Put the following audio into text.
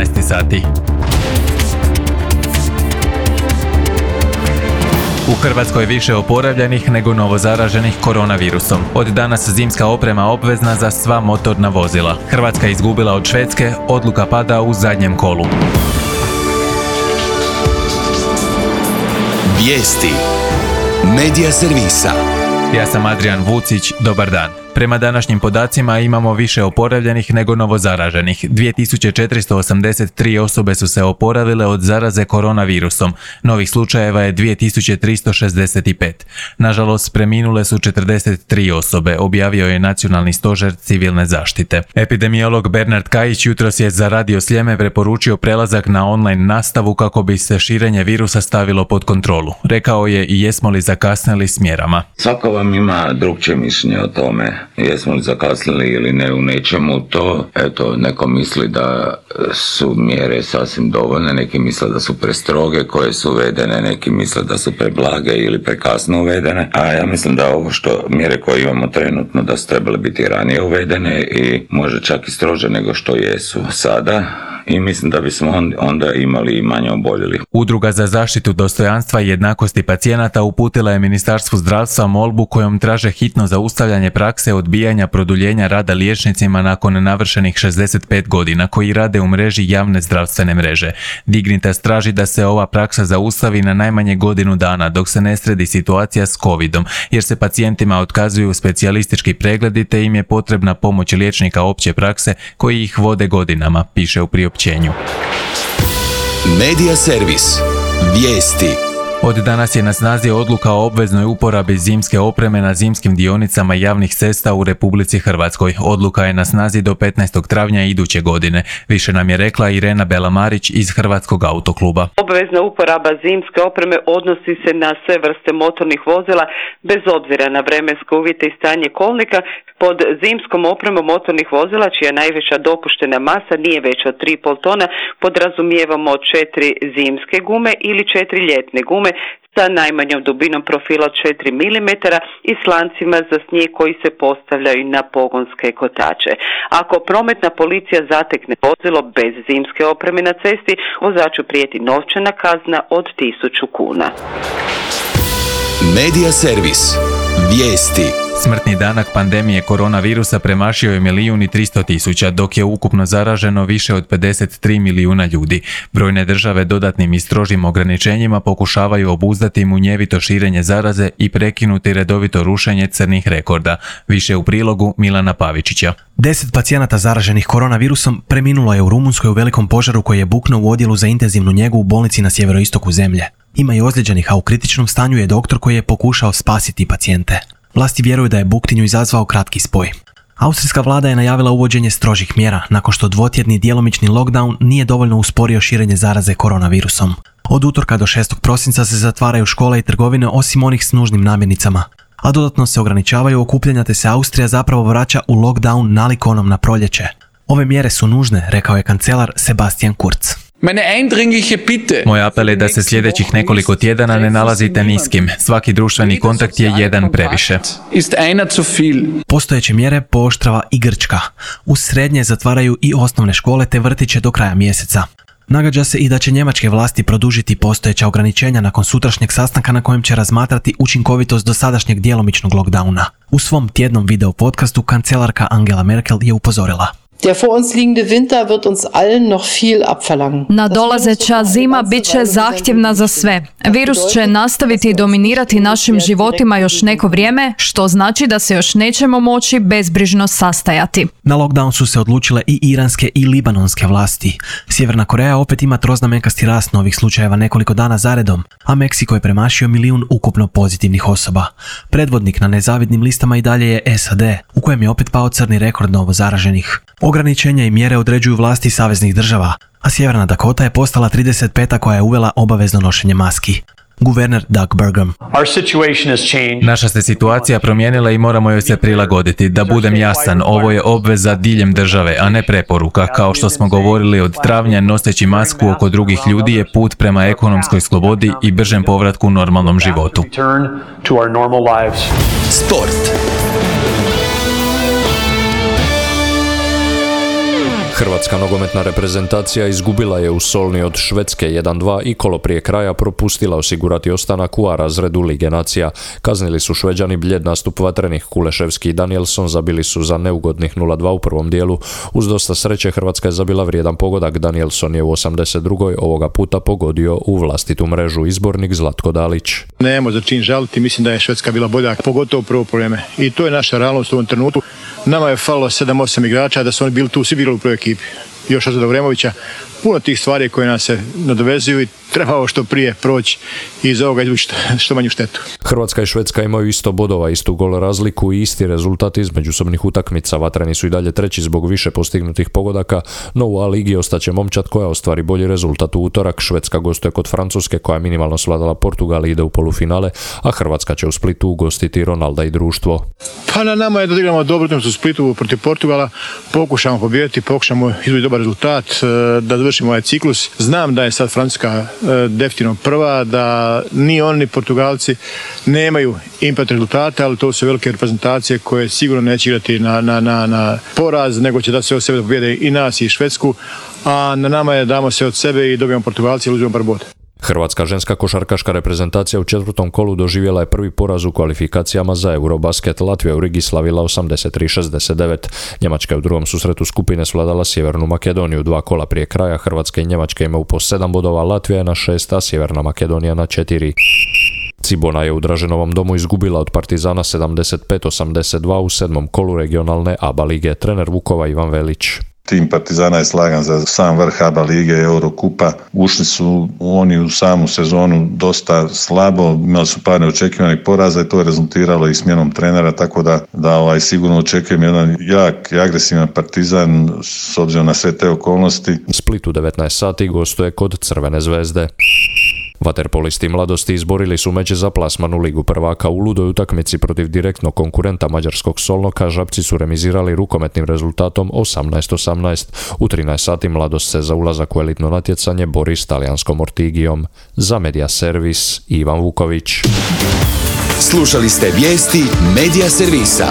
12 sati. U Hrvatskoj je više oporavljenih nego novozaraženih koronavirusom. Od danas zimska oprema obvezna za sva motorna vozila. Hrvatska je izgubila od Švedske, odluka pada u zadnjem kolu. Vijesti Medija servisa. Ja sam Adrian Vucić, dobar dan. Prema današnjim podacima imamo više oporavljenih nego novozaraženih. 2483 osobe su se oporavile od zaraze koronavirusom. Novih slučajeva je 2365. Nažalost, preminule su 43 osobe, objavio je Nacionalni stožer civilne zaštite. Epidemiolog Bernard Kajić jutros je za Radio Sljeme preporučio prelazak na online nastavu kako bi se širenje virusa stavilo pod kontrolu. Rekao je i jesmo li zakasnili s mjerama. Svako vam ima drugčije mišljenje o tome. Jesmo li zakasnili ili ne u nečemu, to, neko misli da su mjere sasvim dovoljne, neki misle da su prestroge koje su uvedene, neki misle da su preblage ili prekasno uvedene, a ja mislim da ovo mjere koje imamo trenutno da su trebale biti ranije uvedene i možda čak i strože nego što jesu sada. I mislim da bismo onda imali i manje oboljelih. Udruga za zaštitu dostojanstva i jednakosti pacijenata uputila je Ministarstvu zdravstva molbu kojom traže hitno zaustavljanje prakse odbijanja produljenja rada liječnicima nakon navršenih 65 godina koji rade u mreži javne zdravstvene mreže. Dignitas traži da se ova praksa zaustavi na najmanje godinu dana dok se ne sredi situacija s covidom, jer se pacijentima otkazuju specijalistički pregledi te im je potrebna pomoć liječnika opće prakse koji ih vode godinama, piše u priopćenju. Medija servis. Vijesti. Od danas je na snazi odluka o obveznoj uporabi zimske opreme na zimskim dionicama javnih cesta u Republici Hrvatskoj. Odluka je na snazi do 15. travnja iduće godine. Više nam je rekla Irena Belamarić iz Hrvatskog autokluba. Obvezna uporaba zimske opreme odnosi se na sve vrste motornih vozila bez obzira na vremenske uvjete i stanje kolnika. Pod zimskom opremom motornih vozila čija najveća dopuštena masa nije veća od 3,5 tona podrazumijevamo 4 zimske gume ili 4 ljetne gume sa najmanjom dubinom profila od 4 mm i slancima za snijeg koji se postavljaju na pogonske kotače. Ako prometna policija zatekne vozilo bez zimske opreme na cesti, vozaču prijeti novčana kazna od 1000 kuna. Medija servis. Vijesti. Smrtni danak pandemije koronavirusa premašio je 1.300.000, dok je ukupno zaraženo više od 53 milijuna ljudi. Brojne države dodatnim i strožim ograničenjima pokušavaju obuzdati munjevito širenje zaraze i prekinuti redovito rušenje crnih rekorda. Više u prilogu Milana Pavičića. 10 pacijenata zaraženih koronavirusom preminulo je u Rumunjskoj u velikom požaru koji je buknuo u odjelu za intenzivnu njegu u bolnici na sjeveroistoku zemlje. Ima i ozlijeđenih, a u kritičnom stanju je doktor koji je pokušao spasiti pacijente. Vlasti vjeruju da je buktinju izazvao kratki spoj. Austrijska vlada je najavila uvođenje strožih mjera nakon što dvotjedni djelomični lockdown nije dovoljno usporio širenje zaraze koronavirusom. Od utorka do 6. prosinca se zatvaraju škole i trgovine osim onih s nužnim namirnicama, a dodatno se ograničavaju okupljanja te se Austrija zapravo vraća u lockdown nalik onom na proljeće. Ove mjere su nužne, rekao je kancelar Sebastian Kurz. Moj apel je da se sljedećih nekoliko tjedana ne nalazite niskim. Svaki društveni kontakt je jedan previše. Postojeće mjere pooštrava i Grčka. Uz srednje zatvaraju i osnovne škole te vrtiće do kraja mjeseca. Nagađa se i da će njemačke vlasti produžiti postojeća ograničenja nakon sutrašnjeg sastanka na kojem će razmatrati učinkovitost dosadašnjeg djelomičnog lockdowna. U svom tjednom video podcastu kancelarka Angela Merkel je upozorila. Der vor uns liegende Winter wird uns allen noch viel abverlangen. Nadolazeća zima bit će zahtjevna za sve. Virus će nastaviti dominirati našim životima još neko vrijeme, što znači da se još nećemo moći bezbrižno sastajati. Na lockdown su se odlučile i iranske i libanonske vlasti. Sjeverna Koreja opet ima troznamenkasti rast novih slučajeva nekoliko dana zaredom, a Meksiko je premašio 1 milijun ukupno pozitivnih osoba. Predvodnik na nezavidnim listama i dalje je SAD, u kojem je opet pao crni rekord novo zaraženih. Ograničenja i mjere određuju vlasti saveznih država, a Sjeverna Dakota je postala 35. koja je uvela obavezno nošenje maski. Guverner Doug Burgum. Naša se situacija promijenila i moramo joj se prilagoditi. Da budem jasan, ovo je obveza diljem države, a ne preporuka. Kao što smo govorili od travnja, noseći masku oko drugih ljudi je put prema ekonomskoj slobodi i bržem povratku normalnom životu. Sport. Hrvatska nogometna reprezentacija izgubila je u Solni od Švedske 1-2 i kolo prije kraja propustila osigurati ostanak u A razredu Lige nacija. Kaznili su Šveđani bljed nastup vatrenih. Kuleševski i Danielson zabili su za neugodnih 0-2 u prvom dijelu. Uz dosta sreće Hrvatska je zabila vrijedan pogodak. Danielson je u 82. ovoga puta pogodio u vlastitu mrežu. Izbornik Zlatko Dalić. Nemamo za čin žaliti, mislim da je Švedska bila bolja, pogotovo prvo vrijeme. I to je naša realnost u ovom trenutku. Nama je falilo 7-8 igrača, da su oni bili tu, svi bili u prvoj ekipi. Još od Vremovića, puno tih stvari koje nas se nadovezuju i trebao što prije proći i iz ovoga izvući što manju štetu. Hrvatska i Švedska imaju isto bodova, istu gol razliku i isti rezultat iz međusobnih utakmica. Vatreni su i dalje treći zbog više postignutih pogodaka, no u A ligi ostaće momčad koja ostvari bolji rezultat u utorak. Švedska gostuje kod Francuske koja je minimalno svladala Portugal i ide u polufinale, a Hrvatska će u Splitu ugostiti Ronalda i društvo. Pa na nama je da igramo dobro utakmicu u Splitu protiv Portugala, pokušamo pobijediti, pokušamo izvući dobar rezultat, da završimo ovaj ciklus. Znam da je sad Francuska definitivno prva, da ni oni ni Portugalci nemaju impat rezultata, ali to su velike reprezentacije koje sigurno neće igrati na poraz, nego će da se od sebe pobjede i nas i Švedsku, a na nama je damo se od sebe i dobijemo Portugalci i uzmemo bar bod. Hrvatska ženska košarkaška reprezentacija u četvrtom kolu doživjela je prvi poraz u kvalifikacijama za Eurobasket. Latvija u Rigi slavila 83-69. Njemačka je u drugom susretu skupine svladala Sjevernu Makedoniju. 2 kola prije kraja Hrvatska i Njemačka imaju po 7 bodova, Latvija je na 6, a Sjeverna Makedonija na 4. Cibona je u Draženovom domu izgubila od Partizana 75-82 u 7. kolu regionalne ABA lige. Trener Vukova Ivan Velić. Tim Partizana je slagan za sam vrh ABA lige i Eurokupa. Ušli su oni u samu sezonu dosta slabo, imali su par neočekivanih poraza i to je rezultiralo i smjenom trenera, tako da sigurno očekujem jedan jak i agresivan Partizan s obzirom na sve te okolnosti. Split u 19 sati gostuje kod Crvene zvezde. Vaterpolisti Mladosti izborili su meč za plasman u Ligu prvaka. U ludoj utakmici protiv direktnog konkurenta mađarskog Solnoka Žabci su remizirali rukometnim rezultatom 18-18. U 13 sati Mladost se za ulazak u elitno natjecanje bori s talijanskom Ortigijom. Za Media Servis Ivan Vuković. Slušali ste vijesti Media Servisa.